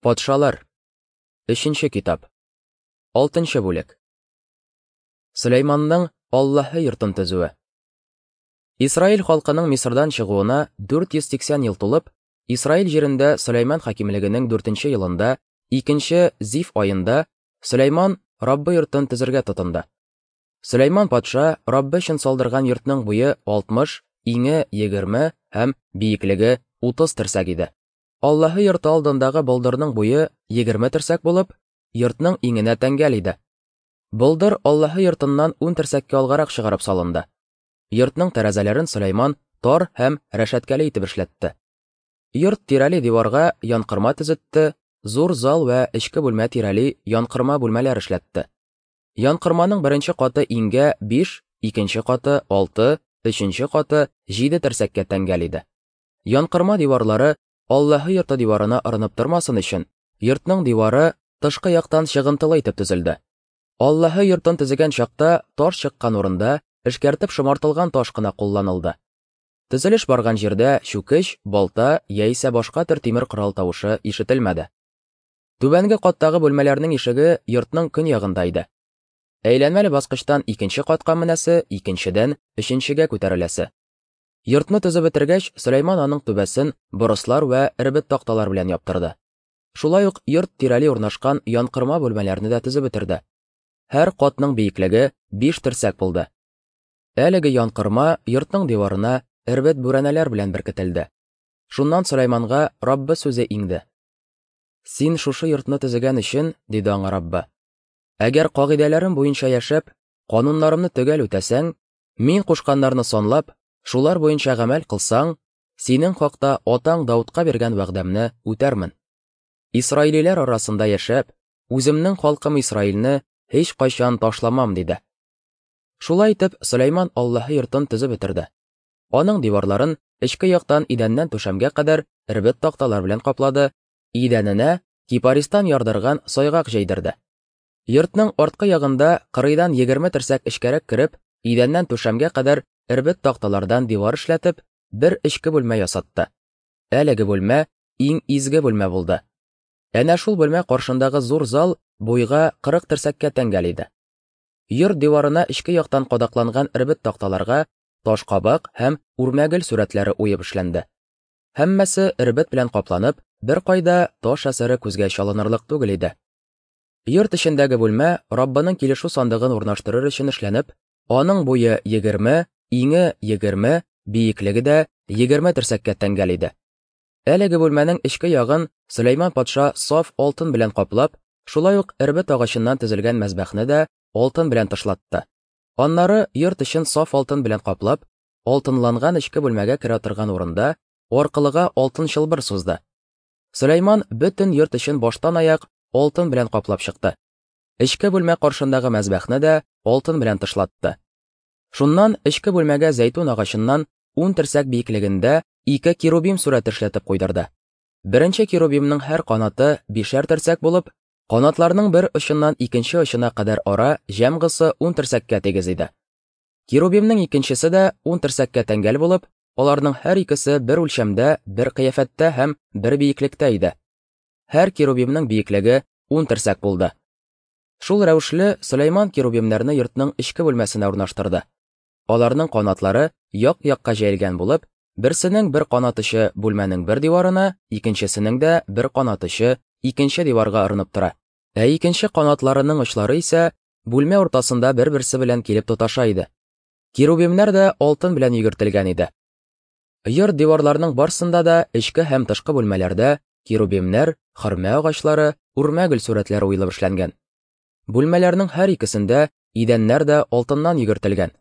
Патшалар. Өченче китап. Алтынчы бүлек. Сөләйманның Аллаһы йортын төзүе. Исраил халкының Мисырдан чыгуына 480 ел тулып, Исраил җирендә Сөләйман хакимлегенең дүртенче елында, икенче Зиф аенда Сөләйман Раббы йортын төзергә тотынды. Сөләйман патша Раббы өчен салдырган йортның буе 60, иңе 20 һәм биеклеге 30 терсәк иде. Аллаһы йорты алдындагы болдырның буе 20 терсәк булып, йортның иңенә тәңгәл иде. Болдыр Аллаһы йортыннан 10 терсәккә алгарак чыгарып салынды. Йортның тәрәзәләрен Сөләйман тар һәм рәшәткәле итеп эшләтте. Йорт тирәли диварга янкырма төзетте, зур зал вә эчке бүлмә тирәли янкырма бүлмәләр эшләтте. Янкырманың беренче каты иңгә 5, икенче каты 6, өченче каты 7 терсәккә тәңгәл иде. Янкырма диварлары Аллаһы йорты диварына орынып тормасын өчен, йортның дивары тышкы яктан чыгынтылы итеп төзелде. Аллаһы йортын төзегән чакта таш чыккан урында эшкәртеп шомартылган таш кына кулланылды. Төзелеш барган җирдә чүкеч, балта яисә башка төр тимер корал тавышы ишетелмәде. Түбәнге каттагы бүлмәләрнең ишеге йортның көньягында иде. Әйләнмәле баскычтан икенче катка менәсе, икенчедән өченчегә күтәреләсе. Йортны төзеп бетергәч, Сөләйман аның түбәсен борыслар вә эрбет такталар белән яптырды. Шулай ук йорт тирәли урнашкан янкырма бүлмәләрне дә төзеп бетерде. Һәр катның биеклеге 5 терсәк булды. Әлеге янкырма йортның диварына эрбет бүрәнәләр белән беркетелде. Шуннан Сөләйманга Раббы сүзе иңде. Син шушы йортны төзегән өчен, диде аңа Раббы, әгәр кагыйдәләрем буенча яшәп, кануннарымны төгәл үтәсәң, мин кушканнарны санлап, шулар буенча гамәл кылсаң, синең хакта атаң Даудка биргән вәгъдәмне үтәрмен. Исраилиләр арасында яшәп, үземнең халкым Исраилне һич кайчан ташламам, диде. Шулай итеп, Сөләйман Аллаһы йортын төзеп бетерде. Аның диварларын эчке яктан идәннән түшәмгә кадәр эрбет такталар белән каплады, идәненә кипаристан ярдырган сайгак җәйдерде. Йортның арткы ягында кырыйдан 20 терсәк эчкәрәк кереп, идәннән түшәмгә кадәр эрбет такталардан дивар эшләтеп, бер эчке бүлмә ясатты. Әлеге бүлмә иң изге бүлмә булды. Әнә шул бүлмә каршындагы зур зал буйга 40 терсәккә тәңгәл иде. Йорт диварына эчке яктан кадакланган эрбет такталарга ташкабак һәм үрмәгөл сурәтләре уеп эшләнде. Һәммәсе эрбет белән капланып, бер кайда таш әсәре күзгә чалынырлык түгел иде. Йорт эчендәге бүлмә Раббының килешү сандыгын урнаштырыр өчен эшләнеп, аның буе 20, иңе 20, биеклеге дә 20 терсәккә тәңгәл иде. Әлеге бүлмәнең эчке ягын Сөләйман патша саф алтын белән каплап, шулай ук эрбет агачыннан төзелгән мәзбәхне дә алтын белән тышлатты. Аннары йорт эчен саф алтын белән каплап, алтынланган эчке бүлмәгә керә торган урында аркылыга алтын чылбыр сузды. Сөләйман бөтен йорт эчен баштан аяк алтын белән каплап чыкты. Эчке бүлмә каршындагы мәзбәхне дә алтын белән тышлатты. Шуннан эчке бүлмәгә зәйтүн агачыннан 10 терсәк биеклегендә ике керубим сурәте эшләтеп куйдырды. Беренче керубимның һәр канаты 5 терсәк булып, канатларның бер очыннан икенче очына кадәр ара җәмгысы 10 терсәккә тигез иде. Керубимның икенчесе дә 10 терсәккә тәңгәл булып, аларның һәр икесе бер үлчәмдә, бер кыяфәттә һәм бер биеклектә иде. Һәр керубимның биеклеге 10 терсәк булды. Шул рәвешле Сөләйман керубимнәрне йортның эчке бүлмәсенә урнаштырды. Аларның канатлары як-якка җәелгән булып, берсенең бер канат очы бүлмәнең бер диварына, икенчесенең дә бер канат очы икенче диварга орынып тора. Ә икенче канатларының очлары исә бүлмә уртасында бер-берсе белән килеп тоташа иде. Керубимнәр дә алтын белән йөгертелгән иде. Йорт диварларының барсында да эчке һәм тышкы бүлмәләрдә керубимнәр, хөрмә агачлары, үрмә гөл сурәтләре уелып эшләнгән. Бүлмәләрнең һәр икесендә идәннәр дә алтыннан йөгертелгән.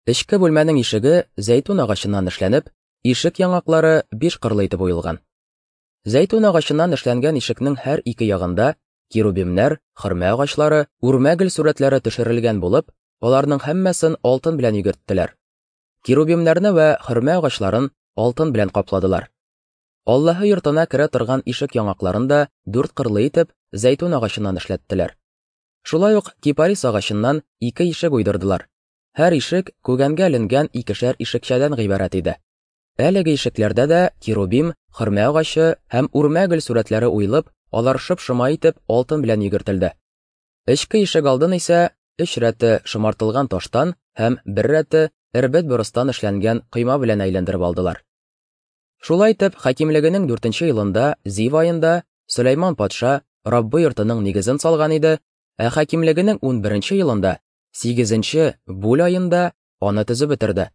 Эчке бүлмәнең ишеге зәйтүн агачыннан эшләнеп, ишек яңаклары 5 кырлы итеп уелган. Зәйтүн агачыннан эшләнгән ишекнең һәр ике ягында керубимнәр, хөрмә агачлары, үрмә гөл сурәтләре төшерелгән булып, аларның һәммәсен алтын белән йөгерттеләр. Керубимнәрне вә хөрмә агачларын алтын белән капладылар. Аллаһы йортына керә торган ишек яңакларын да 4 кырлы итеп зәйтүн агачыннан эшләттеләр. Шулай ук кипарис агачыннан 2 ишек уйдырдылар. Һәр ишек күгәнгә эленгән икешәр ишекчәдән гыйбарәт иде. Әлеге ишекләрдә дә керубим, хөрмә агачы һәм үрмә гөл сурәтләре уелып, Алар шоп-шома итеп алтын белән йөгертелде. Эчке ишек алдын исә өч рәте шомартылган таштан һәм бер рәте эрбет борыстан эшләнгән койма белән әйләндереп алдылар. Шулай итеп, хакимлегенең дүртенче елында, Зив аенда, Сөләйман патша Раббы йортының нигезен салган иде, ә хакимлегенең унберенче елында, сигезенче Бүл аенда аны төзеп бетерде.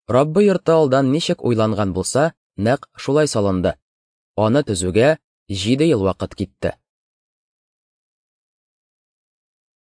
Раббы йорты алдан ничек уйланган булса, нәкъ шулай салынды. Аны төзүгә җиде ел вакыт китте.